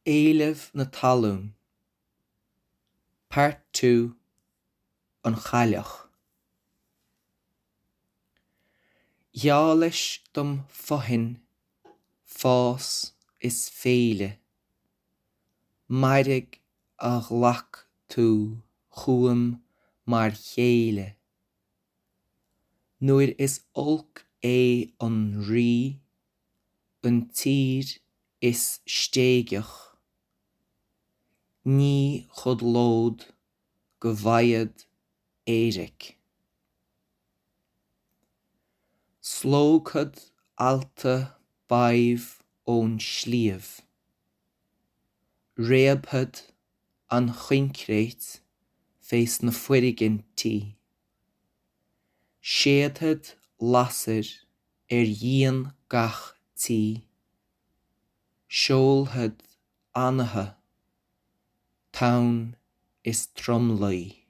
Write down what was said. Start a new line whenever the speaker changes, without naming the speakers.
Éileamh na Talún Part 2 An Chailleach Gheallais dom fothain, fás is féile, Mairg a ghlac tú chugam mar chéile. Nuair is olc é an rí, an tír is stéigeach, ní chodlód go bhfaighead éiric. Slógfad ealta badhbh ón sliabh, réabfad an choincréit fés na foirgintí, séidfead lasair ar dhíon gach tí, seolfad anaithe, tonn is tromluí.